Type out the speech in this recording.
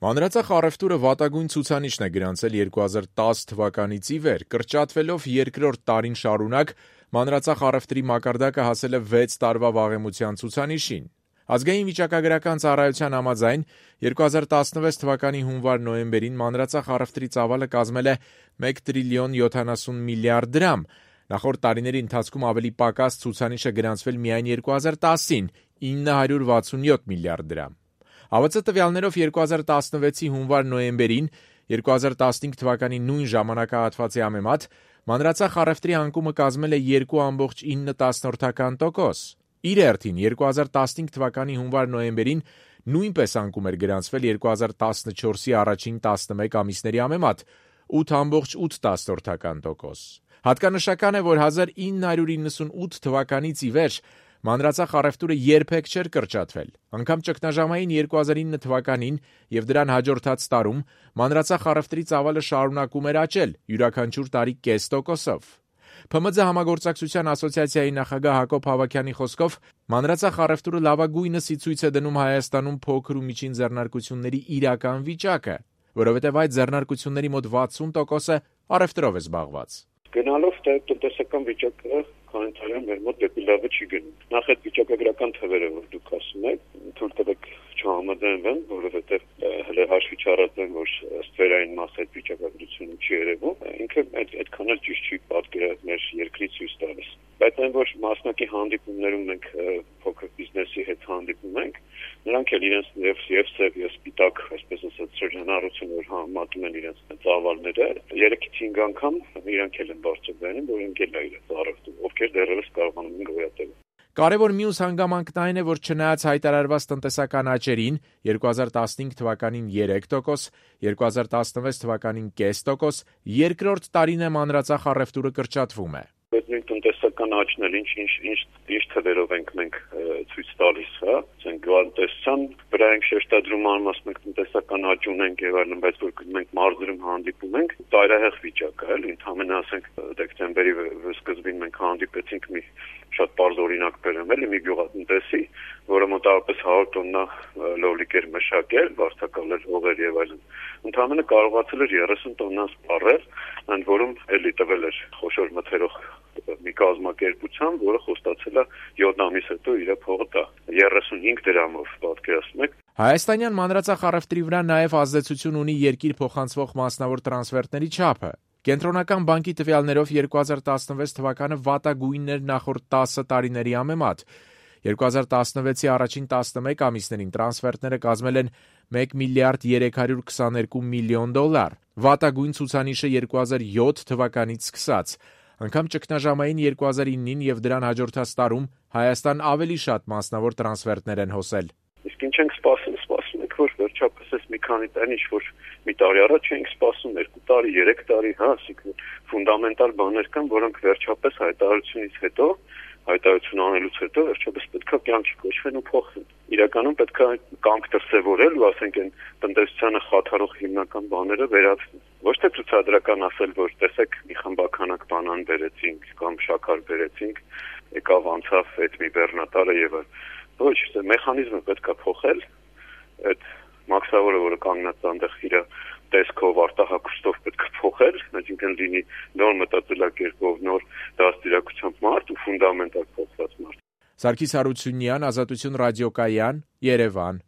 Մանրածախ առևտուրը վատագույն ցուցանիշն է գրանցել 2010 թվականից ի վեր, կրճատվելով երկրորդ տարին շարունակ, մանրածախ առևտրի մակարդակը հասել է 6 տարվա վաղեմության ցուցանիշին։ Ազգային վիճակագրական ծառայության համաձայն 2016 թվականի հունվար-նոյեմբերին մանրածախ առևտրի ծավալը կազմել է 1 տրիլիոն 70 միլիարդ դրամ։ Նախորդ տարիների ընթացքում ավելի պակաս ցուցանիշը գրանցվել միայն 2010-ին՝ 967 միլիարդ դրամ։ ԱՎԾ տվյալներով 2016-ի հունվար-նոյեմբերին 2015 թվականի նույն ժամանակահատվածի համեմատ մանրածախ առևտրի անկումը կազմել է 2,9%։ Իր հերթին 2015 թվականի հունվար-նոյեմբերին նույնպես անկում էր գրանցվել 2014-ի առաջին 11 ամիսների համեմատ՝ 8,8%։ Հատկանշական է, որ 1998 թվականից ի վեր մանրածախ առևտուրը երբեք չէր կրճատվել։ Անգամ ճգնաժամային 2009 թվականին և դրան հաջորդած տարում մանրածախ առևտրի ծավալը շարունակում էր աճել, յուրաքանչյուր տարի կես տոկոսով։ ՓՄՁ համագործակցության ասոցիացիայի նախագահ Հակոբ Հավաքյանի խոսքով մանրածախ առևտուրը լավագույնս ի ցույց է դնում Հայաստանում փոքր ու միջին ձեռնարկությունների իրական վիճակը, որովհետև այդ ձեռնարկությունների մոտ 60%-ը առևտրով է զբաղված։ Գնալով տնտեսական վիճակը քանիցարյան մեր մոտ դեպի լավը չի գնում։ Նախ այդ վիճակագրական թվերը, որ դուք ասում եք, թույլ տվեք չհամաձայնվեմ, որովհետև հələ հաշվի չառածեմ, որ ստվերային մաս այդ վիճակագրությունը չի երևում, ինքը այդքան էլ ճիշտ չի պատկերած մեր երկրի ցույց տալիս։ Բայց այն, որ մասնակի հանդիպումներում մենք փոքր բիզնեսի հետ հանդիպում ենք, նրանք էլ իրենց եւ սև եւ սպիտակ, այսպես ասած, շրջանառություն որ համատում են իրենց ծավալները, 3-5 անգամ իրանք էլ են բարձրացնում, որ ընկել է իրենց առևտուրը, ովքեր դեռևս կարողանում են գոյատևել։ Կարևոր մյուս հանգամանքն այն է, որ չնայած հայտարարված տնտեսական աճերին 2015 թվականին 3%, 2016 թվականին կես տոկոս, երկրորդ տարին է մանրածախ առևտուրը կրճատվում է։ Այդ նույն տնտեսական աճն էլ ինչ թվերով ենք մենք ցույց տալիս, հա, ասենք գյուղատնտեսության վրա ենք շեշտադրում անմաս մենք տնտեսական աճ ունենք եւ այլն, բայց որ մենք մարզերում հանդիպում ենք, տարահեղ վիճակ է, էլի, ընդհանրապես ասենք դեկտեմբերի սկզբին մենք հանդիպեցինք մի շատ բարձ օրինակ բերեմ, էլի, մի գյուղատնտեսի, որը մոտավորապես 100 տոննա լոլիկ էր մշակել, վարձակալել հողեր եւ այլն։ Ընդհանրապես կարողացել էր 30 տոննա սպառել, ընդ որում էլի տվել էր խոշոր մթերող մի կազմակերպության, որը խոստացել է 7 ամիս հետո իր փողը տա 35 դրամով, պատկերացնում եք։ Հայաստանյան մանրածախ առևտրի վրա նաև ազդեցություն ունի երկիր փոխանցվող մասնավոր տրանսֆերտների չափը։ Կենտրոնական բանկի տվյալներով 2016 թվականը վատագույնն էր նախորդ 10 տարիների համեմատ։ 2016-ի առաջին 11 ամիսներին տրանսֆերտները կազմել են 1 միլիարդ 322 միլիոն դոլար։ Վատագույն ցուցանիշը 2007 թվականից սկսած։ Անգամ ճգնաժամային 2009-ին և դրան հաջորդած տարում Հայաստան ավելի շատ մասնավոր տրանսֆերտներ են հոսել։ Իսկ ինչ ենք սպասում եք, որ վերջապես այս մի քանի տարի ինչ-որ մի տարի առաջ էինք սպասում 2 տարի, 3 տարի, հա, ասիկն ֆունդամենտալ բաներ կան, որոնք վերջապես հայտարարություն անելուց հետո վերջապես պետքա կյանքի կոչվեն ու փոխվեն։ Իրականում պետքա կամք դրսևորել ու ասենք այն տնտեսությանը խաթարող հիմնական բաները վերացնել։ Ոչ թե ցուցադրական ասել, որ տեսեք մի խմբականակ բանան բերեցինք կամ շաքար բերեցինք, եկավ անցավ այդ մի բեռնատարը եւ այլ։ Ոչ, դա մեխանիզմը պետքա փոխել, այդ մաքսավորը, որը կանգնած այնտեղ իր տեսքով արտահակուստով պետք է փոխել, այսինքն լինի նոր մտածելակերպով, նոր դաստիարակությամբ մարդ ու ֆունդամենտալ փոխված մարդ։ Սարգիս Հարությունյան, Ազատություն ռադիոկայան, Երևան։